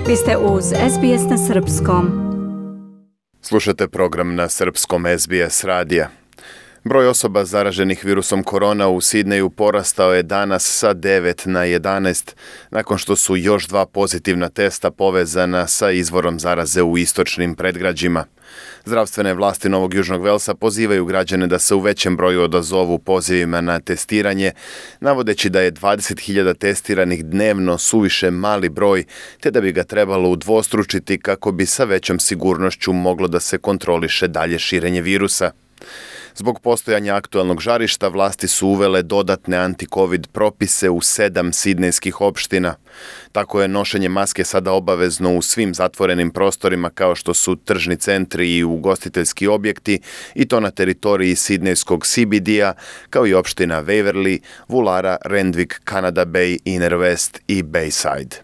Vi ste uz SBS na Srpskom. Slušate program na srpskom SBS radija. Broj osoba zaraženih virusom korona u Sidneju porastao je danas sa 9 na 11, nakon što su još 2 pozitivna testa povezana sa izvorom zaraze u istočnim predgrađima. Zdravstvene vlasti Novog Južnog Velsa pozivaju građane da se u većem broju odazovu pozivima na testiranje, navodeći da je 20.000 testiranih dnevno suviše mali broj, te da bi ga trebalo udvostručiti kako bi sa većom sigurnošću moglo da se kontroliše dalje širenje virusa. Zbog postojanja aktualnog žarišta, vlasti su uvele dodatne anti-covid propise u 7 sidnejskih opština. Tako je nošenje maske sada obavezno u svim zatvorenim prostorima kao što su tržni centri i ugostiteljski objekti, i to na teritoriji sidnejskog CBD-a, kao i opština Waverly, Woollahra, Randwick, Canada Bay, Inner West i Bayside.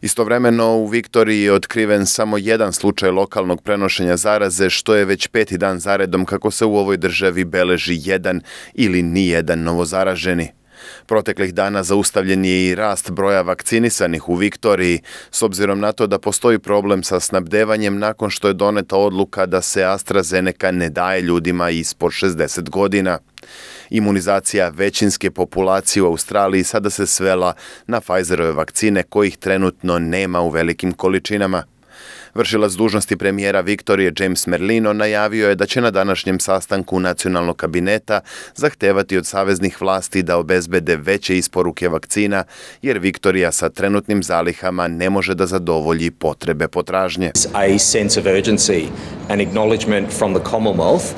Istovremeno u Viktoriji je otkriven samo jedan slučaj lokalnog prenošenja zaraze, što je već 5. dan zaredom kako se u ovoj državi beleži jedan ili nijedan novozaraženi. Proteklih dana zaustavljen je i rast broja vakcinisanih u Viktoriji, s obzirom na to da postoji problem sa snabdevanjem nakon što je doneta odluka da se AstraZeneca ne daje ljudima ispod 60 godina. Imunizacija većinske populacije u Australiji sada se svela na Pfizerove vakcine kojih trenutno nema u velikim količinama. Vršilac dužnosti premijera Viktorije James Merlino najavio je da će na današnjem sastanku nacionalnog kabineta zahtevati od saveznih vlasti da obezbede veće isporuke vakcina, jer Viktorija sa trenutnim zalihama ne može da zadovolji potrebe potražnje. A sense of urgency and acknowledgement from the Commonwealth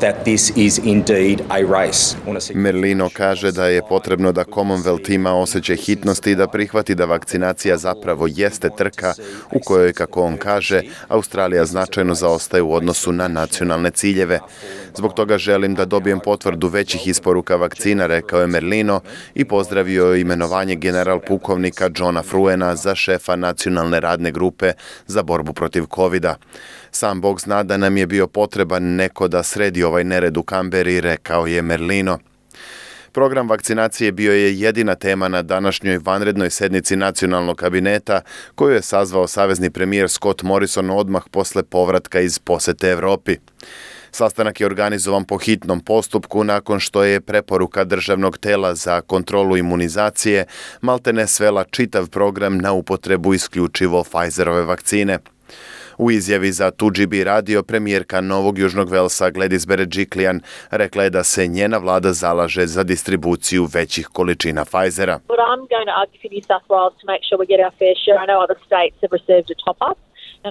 that this is indeed a race. Merlino kaže da je potrebno da Commonwealth ima osjećaj hitnosti i da prihvati da vakcinacija zapravo jeste trka u kojoj, kako on kaže, Australija značajno zaostaje u odnosu na nacionalne ciljeve. Zbog toga želim da dobijem potvrdu većih isporuka vakcina, rekao je Merlino i pozdravio imenovanje general pukovnika Johna Fruena za šefa nacionalne radne grupe za borbu protiv covida. Sam Bog zna da nam je bio potreban neko da sredi ovaj nered u Kamberi, rekao je Merlino. Program vakcinacije bio je jedina tema na današnjoj vanrednoj sednici nacionalnog kabineta koju je sazvao savezni premijer Scott Morrison odmah posle povratka iz posete Evropi. Sastanak je organizovan po hitnom postupku nakon što je preporuka državnog tela za kontrolu imunizacije maltene svela čitav program na upotrebu isključivo Pfizerove vakcine. U izjavi za 2GB radio premijerka Novog Južnog Velsa Gladys Berejiklian rekla je da se njena vlada zalaže za distribuciju većih količina Pfizera.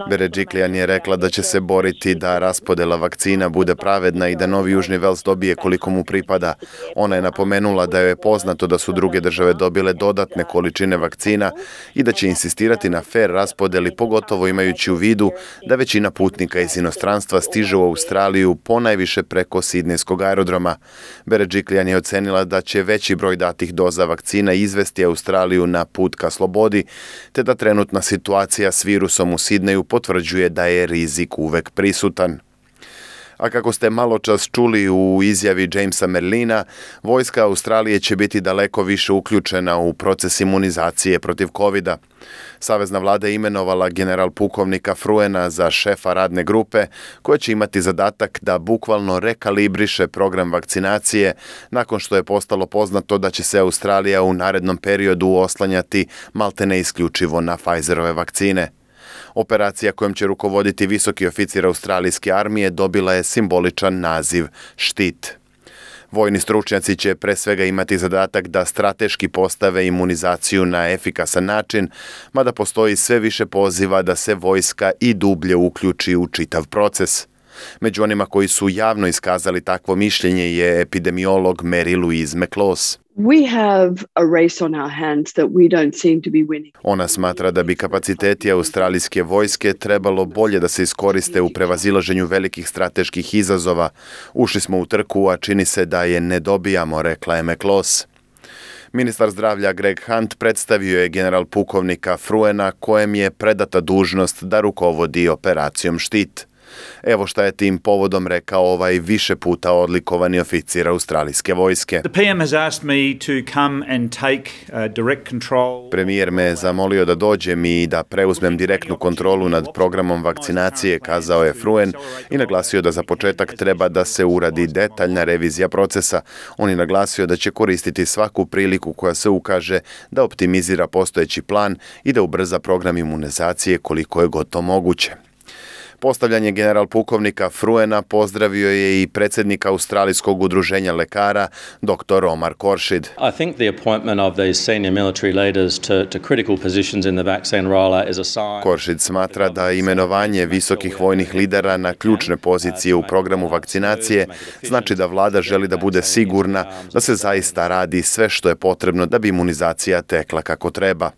Berejiklian je rekla da će se boriti da raspodela vakcina bude pravedna i da Novi Južni Vels dobije koliko mu pripada. Ona je napomenula da joj je poznato da su druge države dobile dodatne količine vakcina i da će insistirati na fer raspodeli, pogotovo imajući u vidu da većina putnika iz inostranstva stiže u Australiju ponajviše preko sidnejskog aerodroma. Berejiklian je ocenila da će veći broj datih doza vakcina izvesti Australiju na put ka slobodi, te da trenutna situacija s virusom u Sidneju potvrđuje da je rizik uvek prisutan. A kako ste maločas čuli u izjavi Jamesa Merlina, vojska Australije će biti daleko više uključena u proces imunizacije protiv covida. Savezna vlada je imenovala general pukovnika Fruena za šefa radne grupe, koja će imati zadatak da bukvalno rekalibriše program vakcinacije nakon što je postalo poznato da će se Australija u narednom periodu oslanjati maltene isključivo na Pfizerove vakcine. Operacija kojom će rukovoditi visoki oficir australijske armije dobila je simboličan naziv Štit. Vojni stručnjaci će pre svega imati zadatak da strateški postave imunizaciju na efikasan način, mada postoji sve više poziva da se vojska i dublje uključi u čitav proces. Među onima koji su javno iskazali takvo mišljenje je epidemiolog Mary Louise McLaws. We have a race on our hands that we don't seem to be winning. Ona smatra da bi kapaciteti australijske vojske trebalo bolje da se iskoriste u prevazilaženju velikih strateških izazova. Ušli smo u trku, a čini se da je ne dobijamo, rekla je McLaws. Ministar zdravlja Greg Hunt predstavio je general pukovnika Fruena kojem je predata dužnost da rukovodi operacijom Štit. Evo šta je tim povodom rekao ovaj više puta odlikovani oficir australijske vojske. The PM has asked me to come and take direct control. Premijer me je zamolio da dođem i da preuzmem direktnu kontrolu nad programom vakcinacije, kazao je Fruen i naglasio da za početak treba da se uradi detaljna revizija procesa. On je naglasio da će koristiti svaku priliku koja se ukaže da optimizira postojeći plan i da ubrza program imunizacije koliko je god to moguće. Postavljanje general pukovnika Fruena pozdravio je i predsjednik Australijskog udruženja lekara, dr. Omar Khorshid. I think the appointment of these senior military leaders to critical positions in the vaccine rollout is a sign. Khorshid smatra da imenovanje visokih vojnih lidera na ključne pozicije u programu vakcinacije znači da vlada želi da bude sigurna da se zaista radi sve što je potrebno da bi imunizacija tekla kako treba.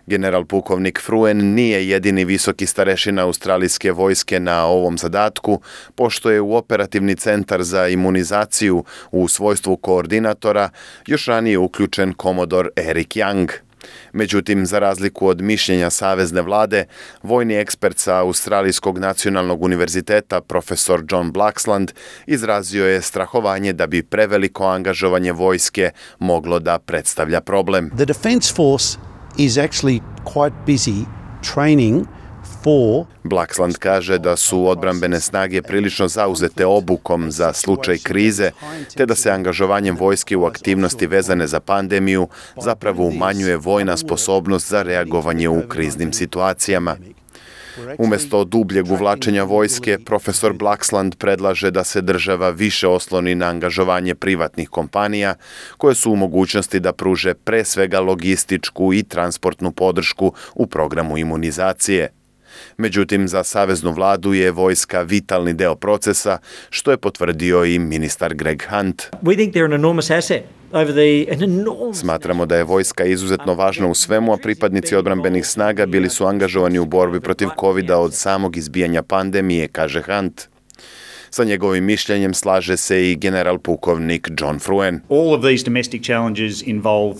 General pukovnik Fruen nije jedini visoki starešina australijske vojske na ovom zadatku, pošto je u operativni centar za imunizaciju u svojstvu koordinatora još ranije uključen komodor Eric Young. Međutim, za razliku od mišljenja savezne vlade, vojni ekspert sa Australijskog nacionalnog univerziteta, profesor John Blaxland, izrazio je strahovanje da bi preveliko angažovanje vojske moglo da predstavlja problem. The Defence Force is actually quite busy training for. Blaxland kaže da su odbrambene snage prilično zauzete obukom za slučaj krize, te da se angažovanjem vojske u aktivnosti vezane za pandemiju zapravo umanjuje vojna sposobnost za reagovanje u kriznim situacijama. Umjesto dubljeg uvlačenja vojske, profesor Blaxland predlaže da se država više osloni na angažovanje privatnih kompanija koje su u mogućnosti da pruže pre svega logističku i transportnu podršku u programu imunizacije. Međutim, za saveznu vladu je vojska vitalni deo procesa, što je potvrdio i ministar Greg Hunt. We think they're an enormous asset. Smatramo da je vojska izuzetno važna u svemu, a pripadnici odbrambenih snaga bili su angažovani u borbi protiv COVID-a od samog izbijanja pandemije, kaže Hunt. Sa njegovim mišljenjem slaže se i general pukovnik John Fruen. All of these domestic challenges involve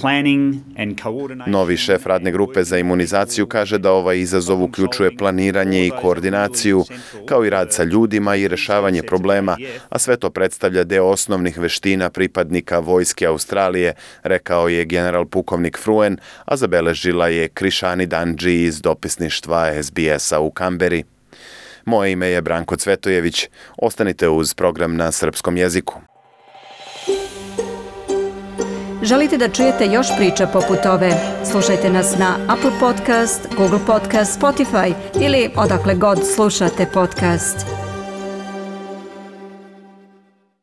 planning and coordination. Novi šef radne grupe za imunizaciju kaže da ovaj izazov uključuje planiranje i koordinaciju, kao i rad sa ljudima i rješavanje problema, a sve to predstavlja deo osnovnih veština pripadnika vojske Australije, rekao je general pukovnik Fruen, a zabeležila je Krišani Danđi iz dopisništva SBS-a u Kamberi. Moje ime je Branko Cvetojević. Ostanite uz program na srpskom jeziku. Želite da čujete još priča poput ove? Slušajte nas na Apple Podcast, Google Podcast, Spotify ili odakle god slušate podcast.